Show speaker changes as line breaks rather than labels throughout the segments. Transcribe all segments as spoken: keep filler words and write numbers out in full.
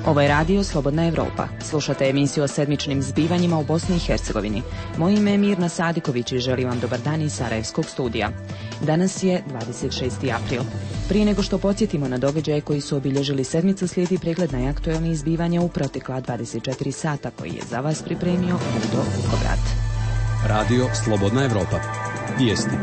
Ovo je radio Slobodna Evropa. Slušate emisiju o sedmičnim zbivanjima u Bosni i Hercegovini. Moje ime je Mirna Sadiković i želim vam dobar dan iz Sarajevskog studija. Danas je dvadeset šesti april. Prije nego što podsjetimo na događaje koji su obilježili sedmicu, slijedi pregled najaktuelnijih zbivanja u protekla dvadeset četiri sata koji je za vas pripremio Ludo Vukovrat.
Radio Slobodna Evropa. Vijesti.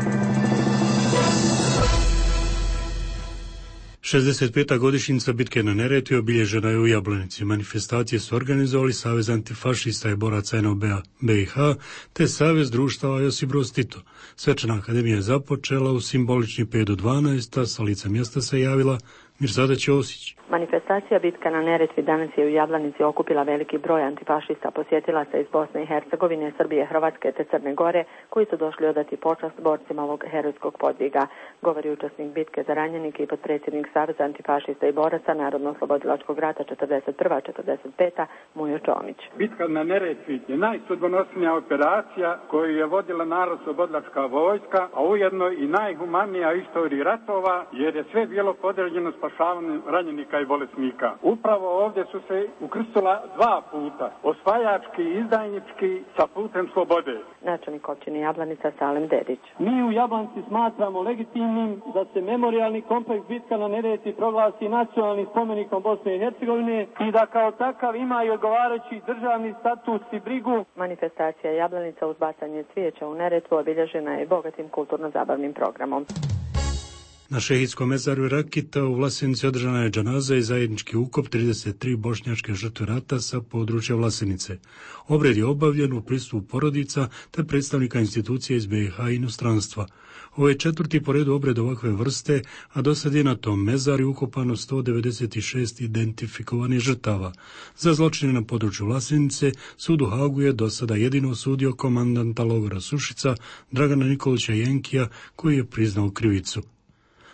šezdeset peta godišnjica bitke na Neretvi obilježena je u Jablanici. Manifestacije su organizovali Savez antifašista i boraca en o be-a be i ha te Savez društava Josip Broz Tito. Svečana akademija je započela u simbolični pet do dvanaest, a sa lica mjesta se javila Mirsada Ćosić.
Manifestacija Bitka na Neretvi danas je u Jablanici okupila veliki broj antifašista posjetilaca iz Bosne i Hercegovine, Srbije, Hrvatske te Crne Gore, koji su došli odati počast borcima ovog herojskog podviga, govori učesnik bitke za ranjenike i potpredsjednik Saveza antifašista i boraca Narodno-oslobodilačkog rata četrdeset prva četrdeset peta Mujo Čomić.
Bitka na Neretvi je najsudbonosnija operacija koju je vodila Narodno-oslobodilačka vojska, a ujedno i najhumanija u istoriji ratova, jer je sve bilo podređeno spašavanju ranjenika i bolesnika. Upravo ovdje su se ukrstila dva puta, osvajački i izdajnički sa putem slobode.
Načelnik općine Jablanica Salem Dedić.
Mi u Jablanici smatramo legitimnim da se memorijalni kompleks Bitka na Neretvi proglasi nacionalnim spomenikom Bosne i Hercegovine i da kao takav ima i odgovarajući državni status i brigu.
Manifestacija Jablanica uz bacanje cvijeća u Neretvu obilježena je bogatim kulturno-zabavnim programom.
Na šehidskom mezaru Rakita u Vlasenici održana je džanaza i zajednički ukop trideset tri bošnjačke žrtve rata sa područja Vlasenice. Obred je obavljen u prisustvu porodica te predstavnika institucija iz be i ha i inostranstva. Ovo je četvrti po redu obred ovakve vrste, a do sad je na tom mezaru ukopano sto devedeset šest identifikovanih žrtava. Za zločine na području Vlasenice sud u Hagu je do sada jedino osudio komandanta logora Sušica Dragana Nikolića Jenkija, koji je priznao krivicu.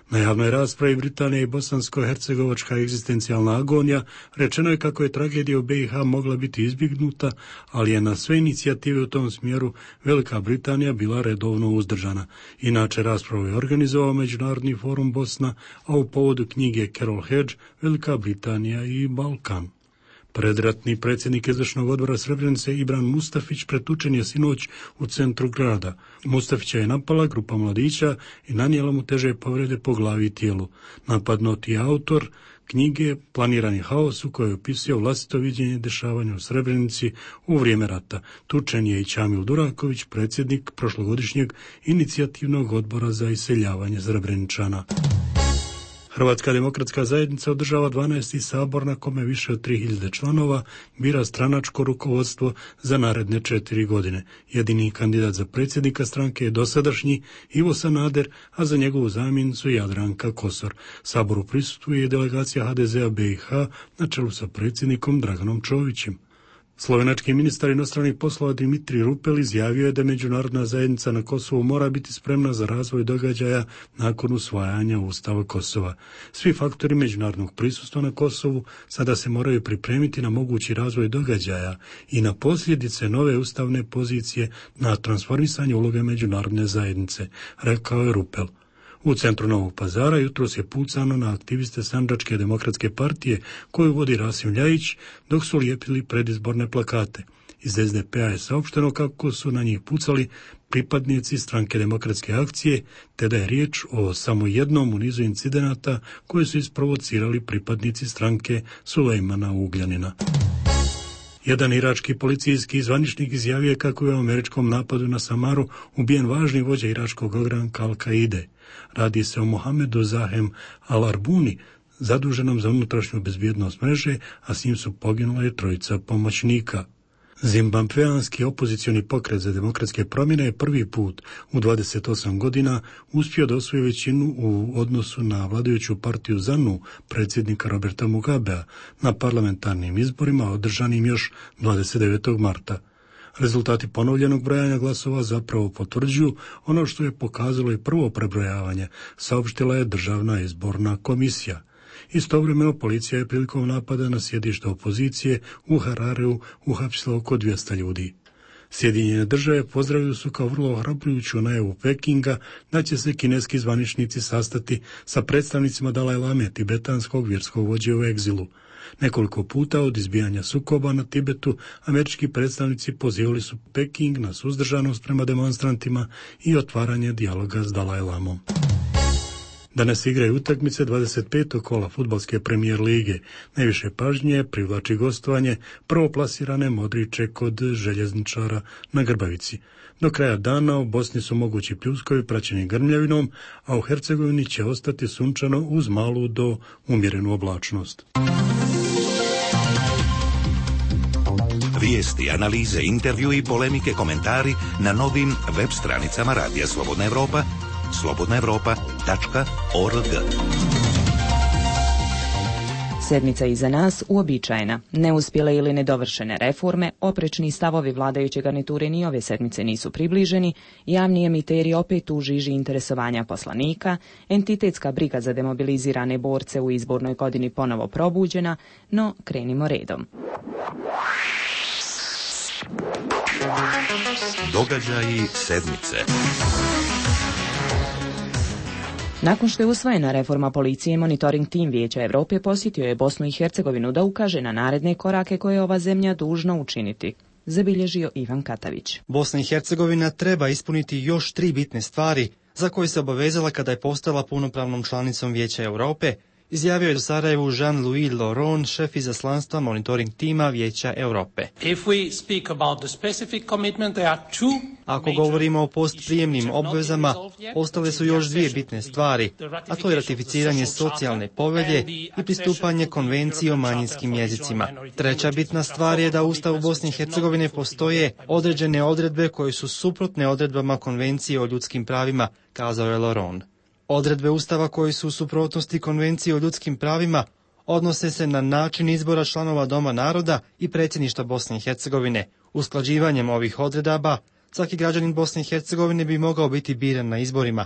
Na javnoj raspravi Britanija i bosansko-hercegovačka egzistencijalna agonija rečeno je kako je tragedija u be i ha mogla biti izbjegnuta, ali je na sve inicijative u tom smjeru Velika Britanija bila redovno uzdržana. Inače, raspravu je organizovao Međunarodni forum Bosna, a u povodu knjige Carol Hedge Velika Britanija i Balkan. Predratni predsjednik izvršnog odbora Srebrenice Ibran Mustafić pretučen je sinoć u centru grada. Mustafića je napala grupa mladića i nanijela mu teže povrede po glavi i tijelu. Napadnuti je autor knjige Planirani haos u kojoj je opisao vlastito viđenje dešavanja u Srebrenici u vrijeme rata. Tučen je i Čamil Duraković, predsjednik prošlogodišnjeg inicijativnog odbora za iseljavanje Srebreničana. Hrvatska demokratska zajednica održava dvanaesti sabor na kome više od tri hiljade članova bira stranačko rukovodstvo za naredne četiri godine. Jedini kandidat za predsjednika stranke je dosadašnji Ivo Sanader, a za njegovu zamjenicu Jadranka Kosor. Saboru prisustvuje i delegacija ha de ze-a be i ha na čelu sa predsjednikom Draganom Čovićem. Slovenački ministar inostranih poslova Dimitrij Rupel izjavio je da međunarodna zajednica na Kosovu mora biti spremna za razvoj događaja nakon usvajanja Ustava Kosova. Svi faktori međunarodnog prisustva na Kosovu sada se moraju pripremiti na mogući razvoj događaja i na posljedice nove ustavne pozicije na transformisanje uloge međunarodne zajednice, rekao je Rupel. U centru Novog Pazara jutros je pucano na aktiviste Sandžačke demokratske partije koju vodi Rasim Ljajić dok su lijepili predizborne plakate. Iz es de pe-a je saopšteno kako su na njih pucali pripadnici Stranke demokratske akcije, te da je riječ o samo jednom u nizu incidenata koje su isprovocirali pripadnici stranke Sulejmana Ugljanina. Jedan irački policijski zvaničnik izjavio je kako je u američkom napadu na Samaru ubijen važni vođa iračkog ogranka Al-Kaide. Radi se o Mohamedu Zahem Al-Arbuni, zaduženom za unutrašnju bezbjednost mreže, a s njim su poginule trojica pomoćnika. Zimbabveanski opozicioni pokret za demokratske promjene je prvi put u dvadeset osam godina uspio da osvoji većinu u odnosu na vladajuću partiju ZANU predsjednika Roberta Mugabea na parlamentarnim izborima održanim još dvadeset devetog marta. Rezultati ponovljenog brojanja glasova zapravo potvrđuju ono što je pokazalo i prvo prebrojavanje, saopštila je Državna izborna komisija. Istovremeno policija je prilikom napada na sjedište opozicije u Harareu uhapsila oko dvjesto ljudi. Sjedinjene države pozdravili su kao vrlo ohrabrujuću najavu Pekinga da će se kineski zvaničnici sastati sa predstavnicima Dalaj Lame, tibetanskog vjerskog vođe u egzilu. Nekoliko puta od izbijanja sukoba na Tibetu američki predstavnici pozivali su Peking na suzdržanost prema demonstrantima i otvaranje dijaloga s Dalaj Lamom. Danas igraju utakmice dvadeset petog kola fudbalske premijer lige. Najviše pažnje privlači gostovanje prvoplasirane Modriće kod Željezničara na Grbavici. Do kraja dana u Bosni su mogući pljuskovi praćeni grmljavinom, a u Hercegovini će ostati sunčano uz malu do umjerenu oblačnost.
Vijesti, analize, intervju i polemike, komentari na novim web stranicama Radija Slobodna Evropa, slobodna evropa tačka org.
Sedmica iza nas uobičajena. Neuspjele ili nedovršene reforme, oprečni stavovi vladajuće garniture ni ove sedmice nisu približeni, javni emiteri opet u žiži interesovanja poslanika, entitetska briga za demobilizirane borce u izbornoj godini ponovo probuđena, no krenimo redom.
Događaji sedmice.
Nakon što je usvojena reforma policije, monitoring tim Vijeća Europe posjetio je Bosnu i Hercegovinu da ukaže na naredne korake koje je ova zemlja dužna učiniti, zabilježio Ivan Katavić.
Bosna i Hercegovina treba ispuniti još tri bitne stvari za koje se obavezala kada je postala punopravnom članicom Vijeća Europe, izjavio je u Sarajevu Jean-Louis Laurent, šef izaslanstva monitoring tima Vijeća Europe. Ako govorimo o postprijemnim obvezama, ostale su još dvije bitne stvari, a to je ratificiranje socijalne povelje i pristupanje konvenciji o manjinskim jezicima. Treća bitna stvar je da u Ustavu Bosne i Hercegovine postoje određene odredbe koje su suprotne odredbama konvencije o ljudskim pravima, kazao je Laurent. Odredbe Ustava koje su u suprotnosti Konvencije o ljudskim pravima odnose se na način izbora članova Doma naroda i predsjedništva Bosne i Hercegovine. Usklađivanjem ovih odredaba, svaki građanin Bosne i Hercegovine bi mogao biti biran na izborima.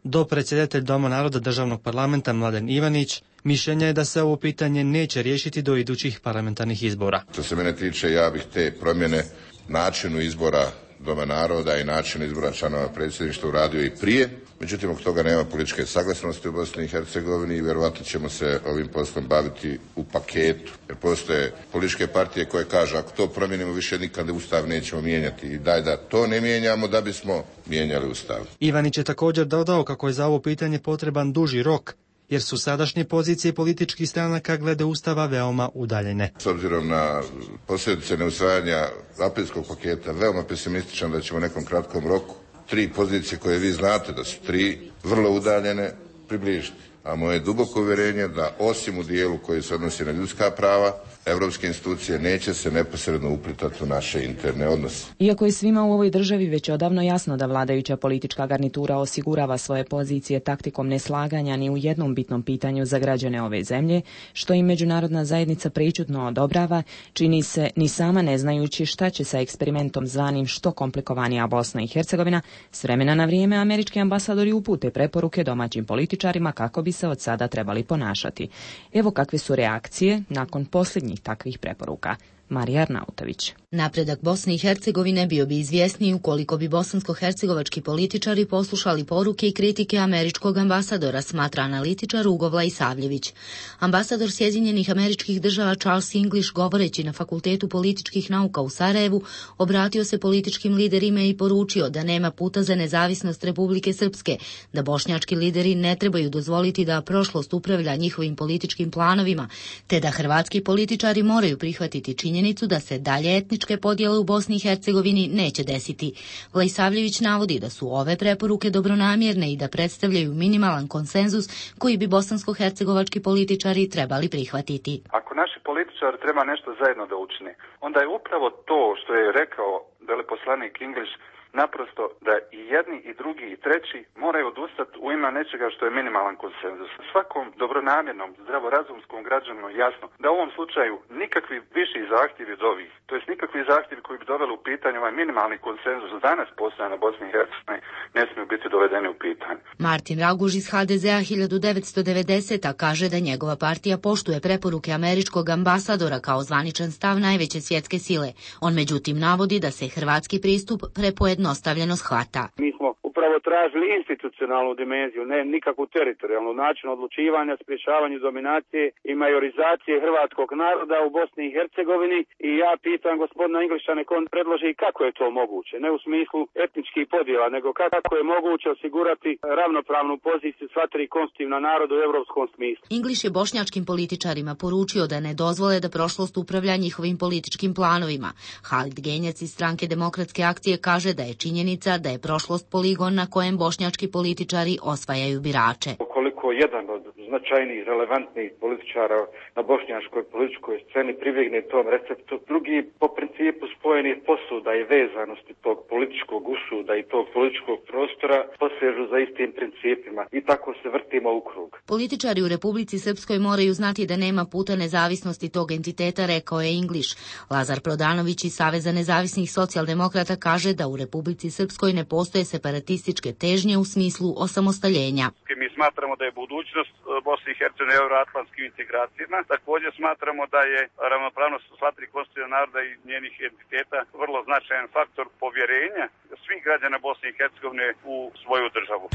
Dopredsjedatelj Doma naroda državnog parlamenta Mladen Ivanić mišljenja je da se ovo pitanje neće riješiti do idućih parlamentarnih izbora.
Što se mene tiče, ja bih te promjene načinu izbora Doma naroda i načinu izbora članova predsjedništva uradio i prije. Međutim, od toga nema političke saglasnosti u Bosni i Hercegovini i vjerovatno ćemo se ovim poslom baviti u paketu. Jer postoje političke partije koje kažu ako to promijenimo više nikada Ustav nećemo mijenjati i daj da to ne mijenjamo da bismo mijenjali Ustav.
Ivanić je također dodao kako je za ovo pitanje potreban duži rok, jer su sadašnje pozicije političkih stranaka glede Ustava veoma udaljene.
S obzirom na posljedice neusvajanja aprilskog paketa, veoma pesimističan da ćemo u nekom kratkom roku tri pozicije koje vi znate da su tri vrlo udaljene približiti. A moje duboko uvjerenje da osim u dijelu koji se odnosi na ljudska prava, evropske institucije neće se neposredno uplitati u naše interne odnose.
Iako je svima u ovoj državi već odavno jasno da vladajuća politička garnitura osigurava svoje pozicije taktikom neslaganja ni u jednom bitnom pitanju za građane ove zemlje, što im međunarodna zajednica prečutno odobrava, čini se ni sama ne znajući šta će sa eksperimentom zvanim što komplikovanija Bosna i Hercegovina, s vremena na vrijeme američki ambasadori upute preporuke domaćim političarima kako bi se od sada trebali ponašati. Evo kakve su reakcije nakon posljednjih takvih preporuka. Marija Arnautović.
Napredak Bosne i Hercegovine bio bi izvjesniji ukoliko bi bosansko-hercegovački političari poslušali poruke i kritike američkog ambasadora, smatra analitičar Ugo Savljević. Ambasador Sjedinjenih Američkih Država Charles English, govoreći na Fakultetu političkih nauka u Sarajevu, obratio se političkim liderima i poručio da nema puta za nezavisnost Republike Srpske, da bošnjački lideri ne trebaju dozvoliti da prošlost upravlja njihovim političkim planovima, te da hrvatski političari moraju prihvatiti činjenicu da se dalje etničke podjele u Bosni i Hercegovini neće desiti. Vlajsavljević navodi da su ove preporuke dobronamjerne i da predstavljaju minimalan konsenzus koji bi bosansko-hercegovački političari trebali prihvatiti.
Ako naši političari treba nešto zajedno da učine, onda je upravo to što je rekao veleposlanik English naprosto da i jedni i drugi i treći moraju odustati u ime nečega što je minimalan konsenzus. Svakom dobronamjernom, zdravorazumskom građanu jasno da u ovom slučaju nikakvi viši zahtjevi od ovih, to jest nikakvi zahtjevi koji bi doveli u pitanje ovaj minimalni konsenzus danas postoje na Bosni i Hercegovini ne smiju biti dovedeni u pitanje.
Martin Raguž iz ha de ze a hiljadu devetsto devedesete. kaže da njegova partija poštuje preporuke američkog ambasadora kao zvaničan stav najveće svjetske sile. On međutim navodi da se hrvatski pristup prepojednostavljeno shvata.
Mi smo upravo tražili institucionalnu dimenziju, ne nikakvu teritorijalnu način odlučivanja, sprječavanju dominacije i majorizacije hrvatskog naroda u Bosni i Hercegovini i ja pitam gospodina Ingliša nek on predloži kako je to moguće, ne u smislu etničkih podjela, nego kako je moguće osigurati ravnopravnu poziciju sva tri konstitutivna naroda u europskom smislu.
Ingliš je bošnjačkim političarima poručio da ne dozvole da prošlost upravlja njihovim političkim planovima. Halid Genjac iz stranke Demokratske akcije kaže da je činjenica da je prošlost poligon na kojem bošnjački političari osvajaju birače.
Koliko jedan od značajnijih, relevantnih političara na bošnjačkoj političkoj sceni pribjegne tom receptu, drugi po principu spojenih posuda i vezanosti tog političkog usuda i tog političkog prostora posežu za istim principima i tako se vrtimo u krug.
Političari u Republici Srpskoj moraju znati da nema puta nezavisnosti tog entiteta, rekao je Ingliš. Lazar Prodanović iz Saveza nezavisnih socijaldemokrata kaže da u Republici Srpskoj ne postoje separatističke težnje u smislu osamostaljenja.
Mi smatramo da je budućnost Bosne i Hercegovine euroatlantskim integracijama. Također smatramo da je ravnopravnost sva tri konstitutivna naroda i njenih entiteta vrlo značajan faktor povjerenja svih građana Bosne i Hercegovine u svoju državu.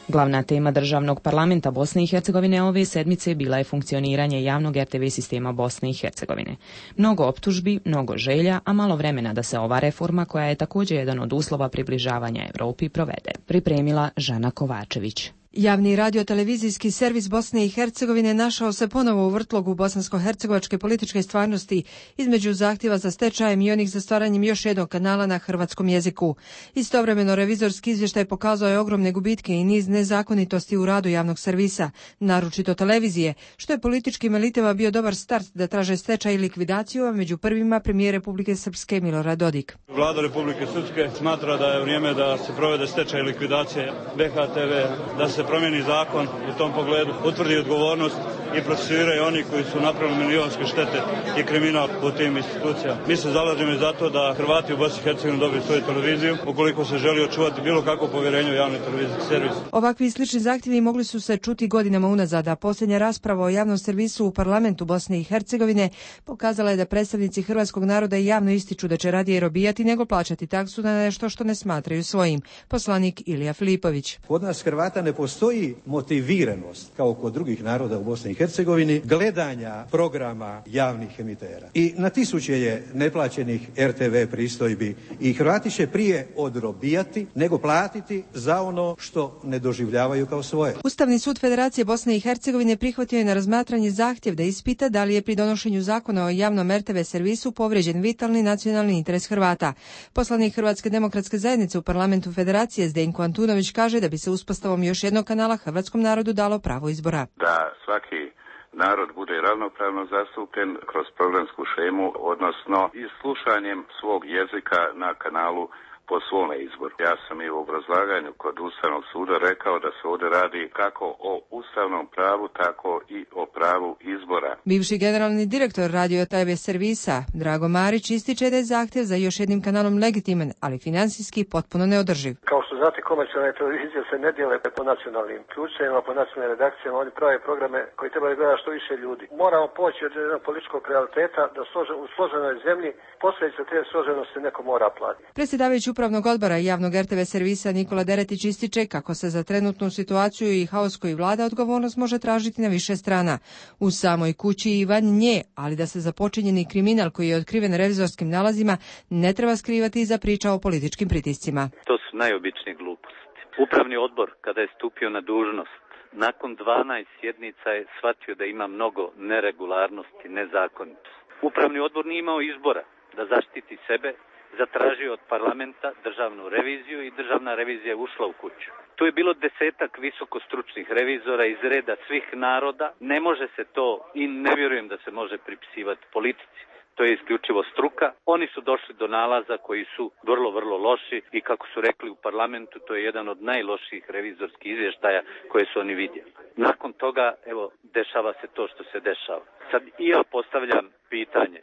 Glavna tema državnog parlamenta Bosne i Hercegovine ove sedmice bila je funkcioniranje javnog er te ve sistema Bosne i Hercegovine. Mnogo optužbi, mnogo želja, a malo vremena da se ova reforma, koja je također jedan od uslova približavanja Europi, provede. Pripremila Žana Kovačević.
Javni radio-televizijski servis Bosne i Hercegovine našao se ponovo u vrtlogu bosansko-hercegovačke političke stvarnosti između zahtjeva za stečajem i onih za stvaranjem još jednog kanala na hrvatskom jeziku. Istovremeno revizorski izvještaj pokazao je ogromne gubitke i niz nezakonitosti u radu javnog servisa, naročito televizije, što je političkim elitama bio dobar start da traže stečaj i likvidaciju, a među prvima premijer Republike Srpske Milorad Dodik.
Vlada Republike Srpske smatra da je vrijeme da se provede stečaj i likvidacija be ha te ve, da se promijeni zakon u tom pogledu, utvrdi odgovornost i procesuiraju oni koji su napravili milionske štete i kriminal u tim institucijama. Mi se zalažemo za to da Hrvati u Bosni i Hercegovini dobiju svoju televiziju, ukoliko se želi očuvati bilo kakvo povjerenje u javni televizijski servis.
Ovakvi i slični zahtjevi mogli su se čuti godinama unazad, a posljednja rasprava o javnom servisu u parlamentu Bosne i Hercegovine pokazala je da predstavnici hrvatskog naroda javno ističu da će radije robijati nego plaćati taksu na nešto što ne smatraju svojim. Poslanik Ilija Filipović.
Kod nas Hrvata ne postoji motiviranost, kao kod drugih naroda u Bosni i Hercegovini, gledanja programa javnih emitera. I na tisuće je neplaćenih er te ve pristojbi i Hrvati će prije odrobijati nego platiti za ono što ne doživljavaju kao svoje.
Ustavni sud Federacije Bosne i Hercegovine prihvatio je na razmatranje zahtjev da ispita da li je pri donošenju zakona o javnom er te ve servisu povrijeđen vitalni nacionalni interes Hrvata. Poslanik Hrvatske demokratske zajednice u parlamentu Federacije Zdenko Antunović kaže da bi se uspostavom još jednog kanala hrvatskom narodu dalo pravo izbora.
Da svaki narod bude ravnopravno zastupljen kroz programsku šemu, odnosno i slušanjem svog jezika na kanalu po svome izboru. Ja sam i u obrazlaganju kod Ustavnog suda rekao da se ovdje radi kako o ustavnom pravu, tako i o pravu izbora.
Bivši generalni direktor radio te ve servisa Drago Marić ističe da je zahtjev za još jednim kanalom legitiman, ali financijski potpuno neodrživ.
Kao što znate, komercijalne televizije se ne dijele po nacionalnim ključevima, po nacionalnim redakcijama, oni prave programe koji trebaju gledati što više ljudi. Moramo poći od jednog političkog realiteta da u složenoj zemlji posljedice te složenosti neko mora platiti.
Predsjedavajući upravnog odbora javnog er te ve servisa Nikola Deretić ističe kako se za trenutnu situaciju i haos koji vlada odgovornost može tražiti na više strana. U samoj kući i van nje, ali da se započinjeni kriminal koji je otkriven revizorskim nalazima ne treba skrivati iza priča o političkim pritiscima.
To su najobičnije gluposti. Upravni odbor, kada je stupio na dužnost, nakon dvanaest sjednica je shvatio da ima mnogo neregularnosti, nezakonitosti. Upravni odbor nije imao izbora da zaštiti sebe, zatražio od parlamenta državnu reviziju i državna revizija je ušla u kuću. Tu je bilo desetak visokostručnih revizora iz reda svih naroda. Ne može se to i ne vjerujem da se može pripisivati politici. to je isključivo struka. Oni su došli do nalaza koji su vrlo, vrlo loši i kako su rekli u parlamentu, to je jedan od najlošijih revizorskih izvještaja koje su oni vidjeli. Nakon toga, evo, dešava se to što se dešava. Sad i ja postavljam pitanje,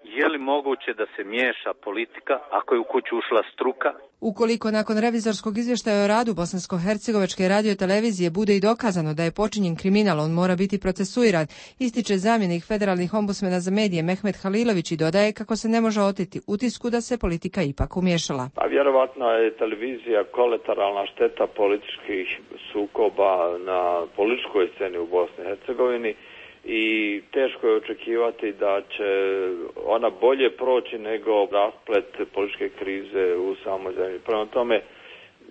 je li moguće da se miješa politika ako je u kuću ušla struka?
Ukoliko nakon revizorskog izvještaja o radu Bosansko-hercegovačke radiotelevizije bude i dokazano da je počinjen kriminal, on mora biti procesuiran, ističe zamjenik federalnih ombudsmena za medije Mehmet Halilović i dodaje kako se ne može oteti utisku da se politika ipak umiješala.
A vjerovatno je televizija kolateralna šteta političkih sukoba na političkoj sceni u Bosni i Hercegovini i teško je očekivati da će ona bolje proći nego rasplet političke krize u samoj zemlji. Prema tome,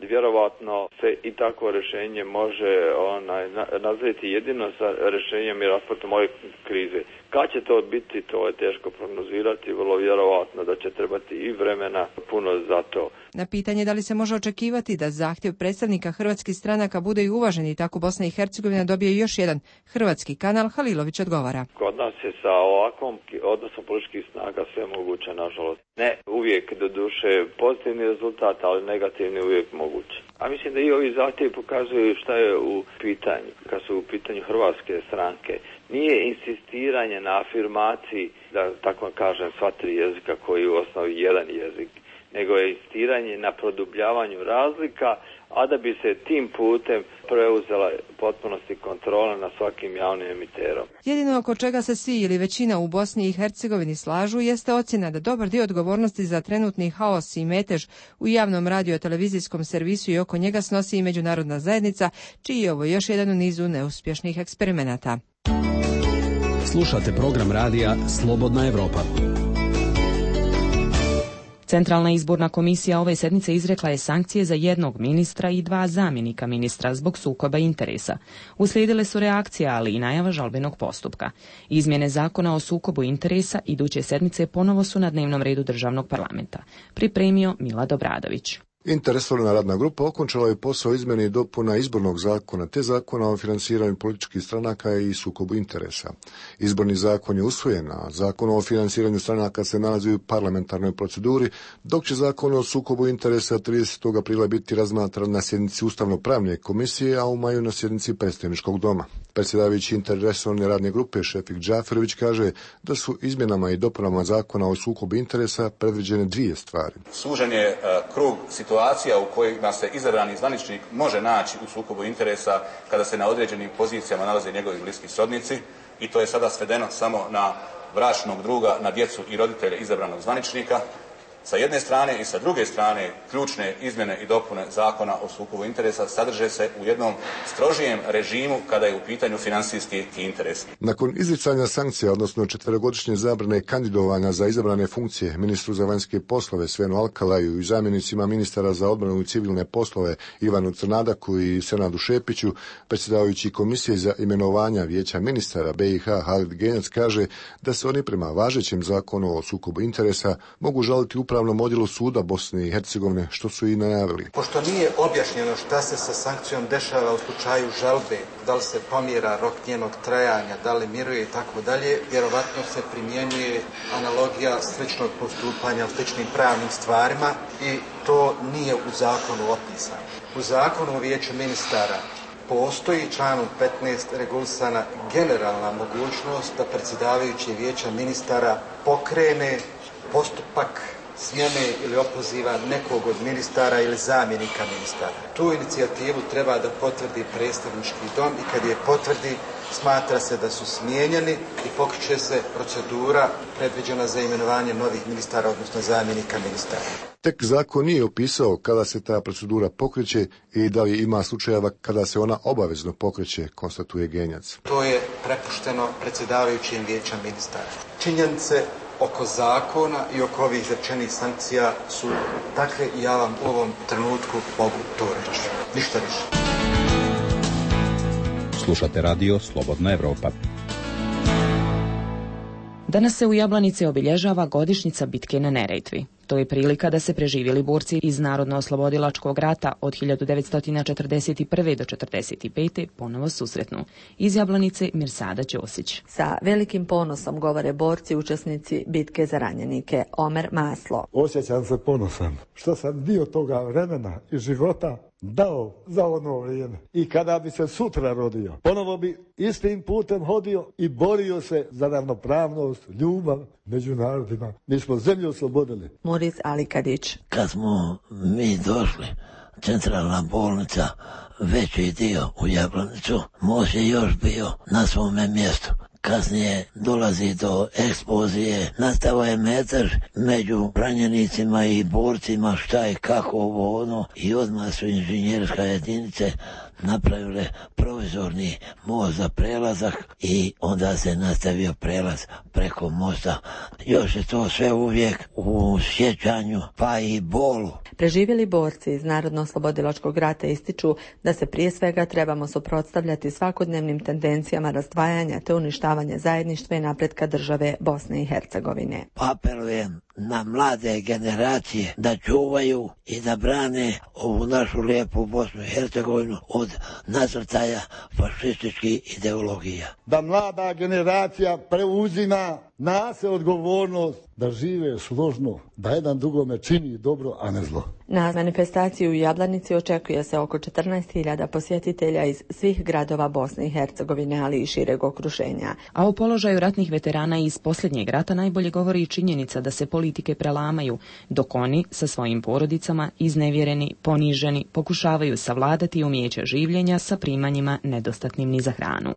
vjerovatno se i takvo rješenje može onaj, nazvati jedino sa rješenjem i raspletom ove krize. Kad će to biti, to je teško prognozirati, vrlo vjerovatno da će trebati i vremena puno za to.
Na pitanje da li se može očekivati da zahtjev predstavnika hrvatskih stranaka bude i uvažen i tako Bosna i Hercegovina dobije još jedan hrvatski kanal, Halilović odgovara.
Kod nas je sa ovakvom odnosom političkih snaga sve moguće, nažalost. Ne uvijek do duše pozitivni rezultat, ali negativni uvijek moguće. A mislim da i ovi zahtjevi pokazuju šta je u pitanju. Kad su u pitanju hrvatske stranke, nije insistiranje na afirmaciji, da tako kažem, sva tri jezika koji je u osnovi jedan jezik, nego je insistiranje na produbljavanju razlika, a da bi se tim putem preuzela potpunosti kontrola na svakim javnim emiterom.
Jedino oko čega se svi ili većina u Bosni i Hercegovini slažu jeste ocjena da dobar dio odgovornosti za trenutni haos i metež u javnom radio-televizijskom servisu i oko njega snosi i međunarodna zajednica, čiji je ovo još jedan u nizu neuspješnih eksperimenata.
Slušate program radija Slobodna Evropa.
Centralna izborna komisija ove sedmice izrekla je sankcije za jednog ministra i dva zamjenika ministra zbog sukoba interesa. Uslijedile su reakcije, ali i najava žalbenog postupka. Izmjene zakona o sukobu interesa iduće sedmice ponovo su na dnevnom redu državnog parlamenta. Pripremio Milad Obradović.
Interresorna radna grupa okončala je posao izmjene i dopuna izbornog zakona te zakona o financiranju političkih stranaka i sukobu interesa. Izborni zakon je usvojen, a zakon o financiranju stranaka se nalazi u parlamentarnoj proceduri, dok će zakon o sukobu interesa tridesetog aprila biti razmatran na sjednici Ustavno-pravne komisije, a u maju na sjednici predstavničkog doma. Predsjedavajući interresorne radne grupe Šefik Džaferović kaže da su izmjenama i dopunama zakona o sukobu interesa predviđene dvije stvari.
Sužen je uh, krug situacija u kojima se izabrani zvaničnik može naći u sukobu interesa kada se na određenim pozicijama nalaze njegovi bliski srodnici i to je sada svedeno samo na bračnog druga, na djecu i roditelje izabranog zvaničnika. Sa jedne strane i sa druge strane ključne izmjene i dopune zakona o sukobu interesa sadrže se u jednom strožijem režimu kada je u pitanju financijski interes.
Nakon izricanja sankcija, odnosno četverogodišnje zabrane kandidovanja za izabrane funkcije ministru za vanjske poslove Svenu Alkalaju i zamjenicima ministara za odbranu i civilne poslove Ivanu Crnadaku i Senadu Šepiću, predsjedavajući komisije za imenovanja vijeća ministara B i H Halid Genjac kaže da se oni prema važećem zakonu o sukobu interesa mogu žaliti u Upravnom odjelu suda Bosne i Hercegovine, što su i najavili.
Pošto nije objašnjeno šta se sa sankcijom dešava u slučaju žalbe, da li se pomjera rok njenog trajanja, da li miruje i tako dalje, vjerovatno se primjenjuje analogija sličnog postupanja u sličnim pravnim stvarima i to nije u zakonu opisano. U zakonu o vijeću ministara postoji članom petnaest regulisana generalna mogućnost da predsjedavajući vijeća ministara pokrene postupak smjene ili opoziva nekog od ministara ili zamjenika ministara. Tu inicijativu treba da potvrdi predstavnički dom i kad je potvrdi smatra se da su smijenjeni i pokreće se procedura predviđena za imenovanje novih ministara, odnosno zamjenika ministara.
Tek zakon nije opisao kada se ta procedura pokreće i da li ima slučajeva kada se ona obavezno pokreće, konstatuje Genjac.
To je prepušteno predsjedavajućim vijećem ministara. Činjenice oko zakona i oko ovih izrečenih sankcija su takve i ja vam u ovom trenutku mogu to reći. Ništa više.
Slušate radio Slobodna Evropa.
Danas se u Jablanici obilježava godišnjica bitke na Neretvi. To je prilika da se preživjeli borci iz Narodno-oslobodilačkog rata od hiljadu devetsto četrdeset prve do četrdeset pete ponovo susretnu. Iz Jablanice Mirsada Ćosić.
Sa velikim ponosom govore borci učesnici bitke za ranjenike. Omer Maslo.
Osjećam se ponosan što sam dio toga vremena i života dao za ono vrijeme. I kada bi se sutra rodio, ponovo bi istim putem hodio i borio se za ravnopravnost, ljubav među narodima. Mi smo zemlju oslobodili.
Moris Alikadić.
Kad smo mi došli, centralna bolnica, veći dio u Jablanicu, most je još bio na svome mjestu. Kasnije dolazi do eksplozije, nastao je metar među ranjenicima i borcima, šta je kako ovo ono, i odmah su inženjerska jedinice napravile provizorni most za prelazak i onda se nastavio prelaz preko mosta. Još je to sve uvijek u sjećanju, pa i bolu.
Preživjeli borci iz Narodno-oslobodilačkog rata ističu da se prije svega trebamo suprotstavljati svakodnevnim tendencijama razdvajanja te uništavanja zajedništva i napretka države Bosne i Hercegovine.
Apelujem na mlade generacije da čuvaju i da brane ovu našu lijepu Bosnu i Hercegovinu od nasrtaja fašističkih ideologija.
Da mlada generacija preuzima na se odgovornost da žive složno, da jedan drugome čini dobro, a ne zlo.
Na manifestaciju u Jablanici očekuje se oko četrnaest hiljada posjetitelja iz svih gradova Bosne i Hercegovine, ali i šireg okruženja.
A o položaju ratnih veterana iz posljednjeg rata najbolje govori i činjenica da se politike prelamaju, dok oni sa svojim porodicama, iznevjereni, poniženi, pokušavaju savladati umijeće življenja sa primanjima nedostatnim ni za hranu.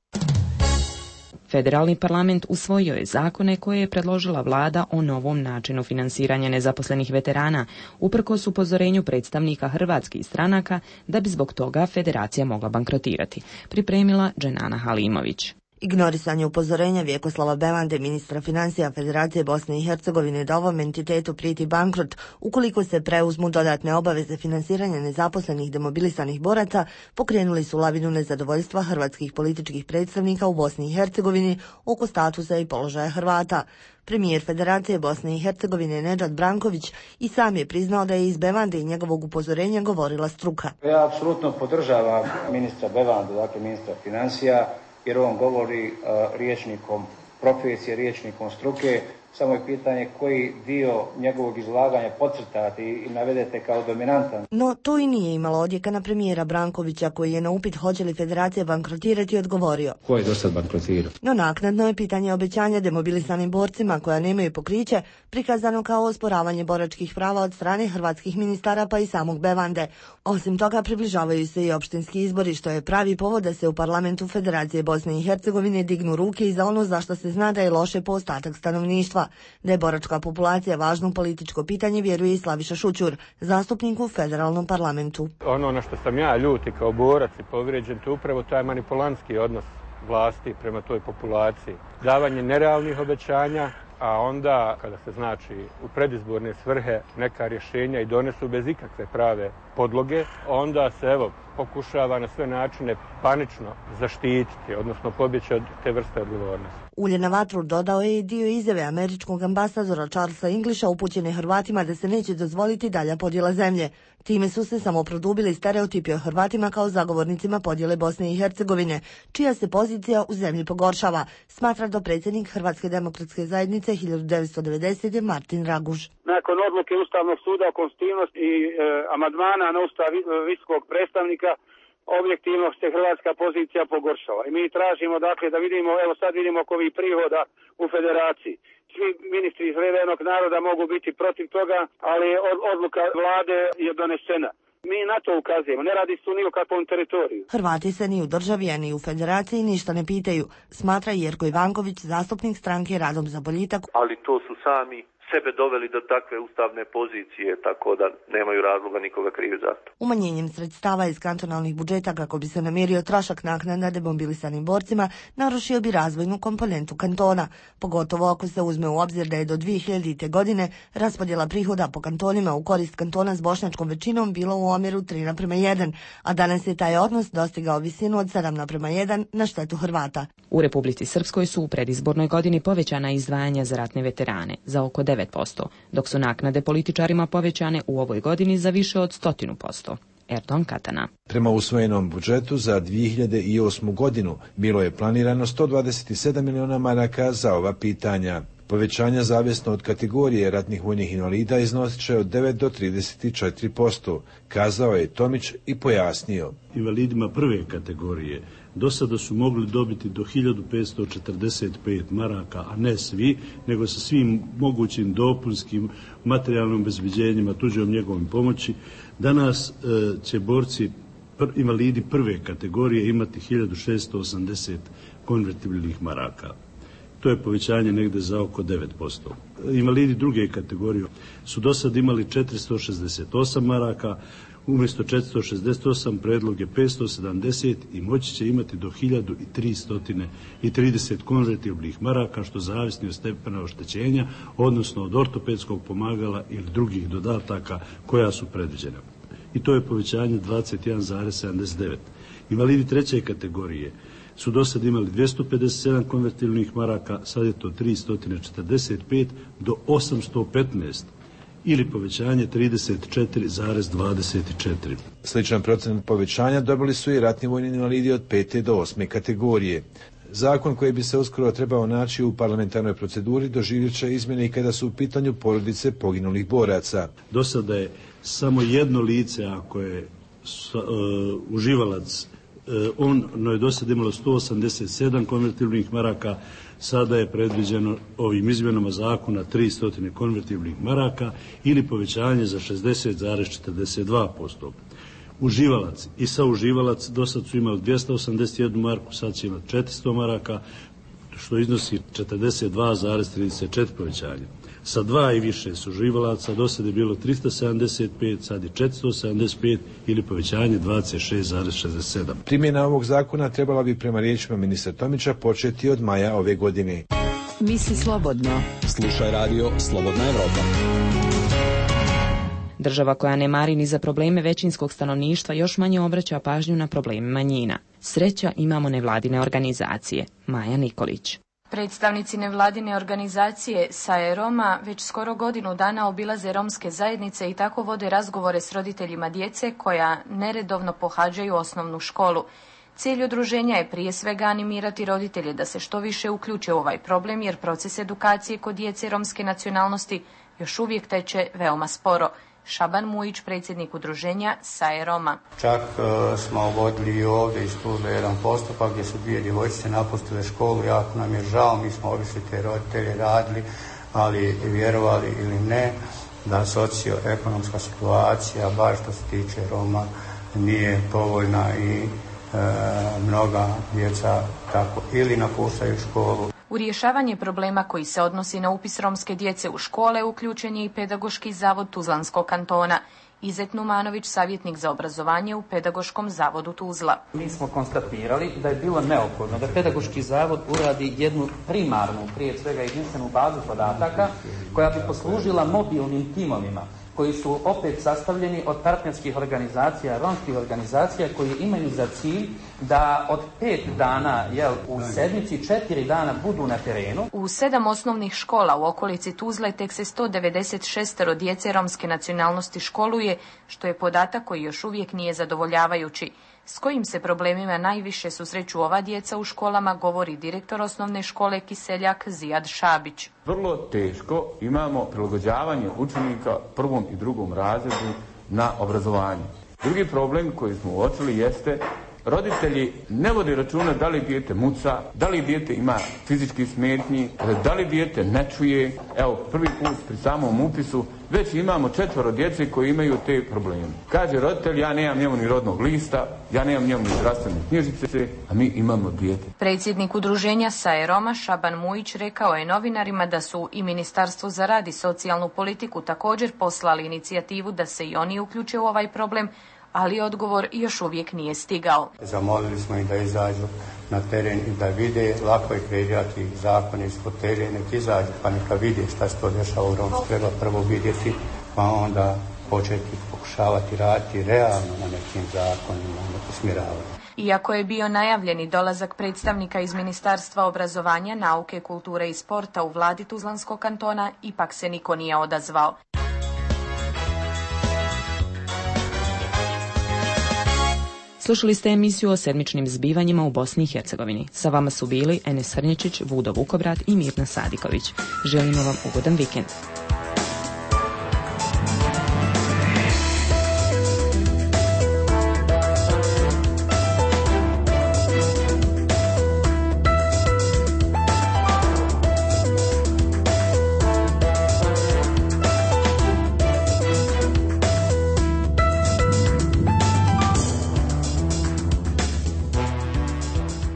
Federalni parlament usvojio je zakone koje je predložila vlada o novom načinu finansiranja nezaposlenih veterana, uprkos upozorenju predstavnika hrvatskih stranaka da bi zbog toga federacija mogla bankrotirati, pripremila Dženana Halimović.
Ignorisanje upozorenja Vjekoslava Bevande, ministra financija Federacije Bosne i Hercegovine, da ovom entitetu prijeti bankrot ukoliko se preuzmu dodatne obaveze finansiranja nezaposlenih demobilisanih boraca, pokrenuli su lavinu nezadovoljstva hrvatskih političkih predstavnika u Bosni i Hercegovini oko statusa i položaja Hrvata. Premijer Federacije Bosne i Hercegovine Nedžad Branković i sam je priznao da je iz Bevande i njegovog upozorenja govorila struka.
Ja apsolutno podržavam ministra Bevandu, dakle ministra financija, jer on govori uh, riječnikom profesije, riječnikom struke. Samo je pitanje koji dio njegovog izlaganja podcrtati i navedete kao dominantan.
No, to i nije imalo odjeka na premijera Brankovića, koji je na upit hoće li federacija bankrotirati odgovorio.
Ko je do sad bankrotirao?
No, naknadno je pitanje obećanja demobilisanim borcima koja nemaju pokriće prikazano kao osporavanje boračkih prava od strane hrvatskih ministara pa i samog Bevande. Osim toga, približavaju se i opštinski izbori, što je pravi povod da se u parlamentu Federacije Bosne i Hercegovine dignu ruke i za ono zašto se zna da je loše po ostatak stanovništva. Da je boračka populacija važno političko pitanje, vjeruje i Slaviša Šućur, zastupnik u federalnom parlamentu.
Ono na što sam ja ljuti kao borac i povrijeđen, to upravo taj manipulantski odnos vlasti prema toj populaciji. Davanje nerealnih obećanja, a onda kada se znači u predizborne svrhe neka rješenja i donesu bez ikakve prave podloge, onda se evo pokušava na sve načine panično zaštititi, odnosno pobjeći od te vrste odgovornosti.
Ulje na vatru dodao je i dio izjave američkog ambasadora Charlesa Englisha upućene Hrvatima da se neće dozvoliti dalja podjela zemlje. Time su se samo produbili stereotipi o Hrvatima kao zagovornicima podjele Bosne i Hercegovine, čija se pozicija u zemlji pogoršava, smatra dopredsjednik Hrvatske demokratske zajednice hiljadu devetsto devedesete. Martin Raguž.
Nakon odluke Ustavnog suda o konstitutivnosti i e, amandmana na Ustav visokog predstavnika, objektivno se hrvatska pozicija pogoršala. I mi tražimo dakle da vidimo, evo sad vidimo oko ovih prihoda u federaciji. Svi ministri iz Levenog naroda mogu biti protiv toga, ali odluka vlade je donesena. Mi na to ukazujemo, ne radi se ni o kakvom teritoriju.
Hrvati se ni u državi, a ni u federaciji ništa ne pitaju, smatra Jerko Ivanković, zastupnik stranke Radom za boljitak.
Ali to su sami sebe doveli do takve ustavne pozicije, tako da nemaju razloga nikoga krivi za to.
Umanjenjem sredstava iz kantonalnih budžeta kako bi se namirio trošak naknada demobilisanim borcima, narušio bi razvojnu komponentu kantona, pogotovo ako se uzme u obzir da je do dvije hiljadite. godine raspodjela prihoda po kantonima u korist kantona s bošnjačkom većinom bilo u omjeru tri naprema jedan, a danas je taj odnos dostigao visinu od sedam naprema jedan na štetu Hrvata.
U Republici Srpskoj su u predizbornoj godini povećana izdvajanja za ratne veterane za oko devet devet posto, dok su naknade političarima povećane u ovoj godini za više od stotinu posto. Erdon Katana.
Prema usvojenom budžetu za dvije hiljade osmu godinu bilo je planirano sto dvadeset sedam miliona maraka za ova pitanja. Povećanja zavisno od kategorije ratnih vojnih invalida iznosit će od devet do trideset četiri posto, kazao je Tomić i pojasnio.
Invalidima prve kategorije do sada su mogli dobiti do hiljadu petsto četrdeset pet maraka, a ne svi, nego sa svim mogućim dopunskim materijalnim obezbeđenjima, tuđom njegovim pomoći. Danas e, će borci pr, invalidi prve kategorije imati hiljadu šessto osamdeset konvertibilnih maraka. To je povećanje negde za oko devet posto. Invalidi druge kategorije su do sad imali četiristo šezdeset osam maraka, umjesto četiristo šezdeset osam predlog je petsto sedamdeset i moći će imati do hiljadu tristo trideset konvertibilnih maraka, što zavisni od stepena oštećenja, odnosno od ortopedskog pomagala ili drugih dodataka koja su predviđena. I to je povećanje dvadeset jedan zarez sedamdeset devet. Invalidi treće kategorije su do sad imali dvjesto pedeset sedam konvertibilnih maraka, sad je to tristo četrdeset pet do osamsto petnaest ili povećanje trideset četiri zarez dvadeset četiri.
Sličan procenat povećanja dobili su i ratni vojni invalidi od pete do osme kategorije. Zakon koji bi se uskoro trebao naći u parlamentarnoj proceduri doživjet će izmjene i kada su u pitanju porodice poginulih boraca.
Do sada je samo jedno lice, ako je uh, uživalac, ono je do sada imalo sto osamdeset sedam konvertibilnih maraka, sada je predviđeno ovim izmjenama zakona tristo konvertibilnih maraka ili povećanje za šezdeset zarez četrdeset dva posto. Uživalac i sauživalac do sada su imali dvjesto osamdeset jednu marku, sad će imati četiristo maraka, što iznosi četrdeset dva zarez trideset četiri povećanje. Sa dva i više suživalaca do sada je bilo tristo sedamdeset pet, sad je četiristo sedamdeset pet ili povećanje dvadeset šest zarez šezdeset sedam.
Primjena ovog zakona trebala bi prema riječima ministra Tomića početi od maja ove godine.
Misli slobodno.
Slušaj radio Slobodna Evropa.
Država koja ne mari ni za probleme većinskog stanovništva još manje obraća pažnju na probleme manjina. Sreća imamo nevladine organizacije. Maja Nikolić.
Predstavnici nevladine organizacije S A E Roma već skoro godinu dana obilaze romske zajednice i tako vode razgovore s roditeljima djece koja neredovno pohađaju osnovnu školu. Cilj udruženja je prije svega animirati roditelje da se što više uključe u ovaj problem, jer proces edukacije kod djece romske nacionalnosti još uvijek teče veoma sporo. Šaban Mujić, predsjednik udruženja S A E Roma.
Čak uh, smo vodili i ovdje iz Tuzle jedan postupak gdje su dvije djevojčice napustile školu. Jako nam je žao, mi smo obišli te roditelje, radili, ali vjerovali ili ne, da socioekonomska situacija, baš što se tiče Roma, nije povoljna i uh, mnoga djeca tako ili napuštaju školu.
U rješavanje problema koji se odnosi na upis romske djece u škole uključen je i Pedagoški zavod Tuzlanskog kantona. Izet Numanović, savjetnik za obrazovanje u Pedagoškom zavodu Tuzla.
Mi smo konstatirali da je bilo neophodno da Pedagoški zavod uradi jednu primarnu, prije svega jedinstvenu bazu podataka koja bi poslužila mobilnim timovima koji su opet sastavljeni od partnerskih organizacija, romskih organizacija koji imaju za cilj da od pet dana jel, u sedmici četiri dana budu na terenu.
U sedam osnovnih škola u okolici Tuzle tek se sto devedeset šest djece romske nacionalnosti školuje, što je podatak koji još uvijek nije zadovoljavajući. S kojim se problemima najviše susreću ova djeca u školama, govori direktor osnovne škole Kiseljak Zijad Šabić.
Vrlo teško imamo prilagođavanje učenika prvom i drugom razredu na obrazovanje. Drugi problem koji smo uočili jeste roditelji ne vode računa da li dijete muca, da li dijete ima fizički smetnji, da li dijete ne čuje. Evo, prvi put pri samom upisu već imamo četvoro djece koji imaju te probleme. Kaže roditelj, ja nemam njemu ni rodnog lista, ja nemam njemu ni zdravstvene knjižice, a mi imamo dijete.
Predsjednik udruženja S A E Roma Šaban Mujić rekao je novinarima da su i Ministarstvo za rad i socijalnu politiku također poslali inicijativu da se i oni uključe u ovaj problem, ali odgovor još uvijek nije stigao.
Zamolili smo ih da izađu na teren i da vide, lako je kreirati zakon iz fotelje, nek izađu pa neka vide šta se to dešava u Romsku. Treba prvo vidjeti pa onda početi pokušavati raditi realno na nekim zakonima, na usmjeravanju.
Iako je bio najavljeni dolazak predstavnika iz Ministarstva obrazovanja, nauke, kulture i sporta u vladi Tuzlanskog kantona, ipak se niko nije odazvao.
Slušali ste emisiju o sedmičnim zbivanjima u Bosni i Hercegovini. Sa vama su bili Enes Hrnječić, Vudo Vukobrad i Mirna Sadiković. Želimo vam ugodan vikend.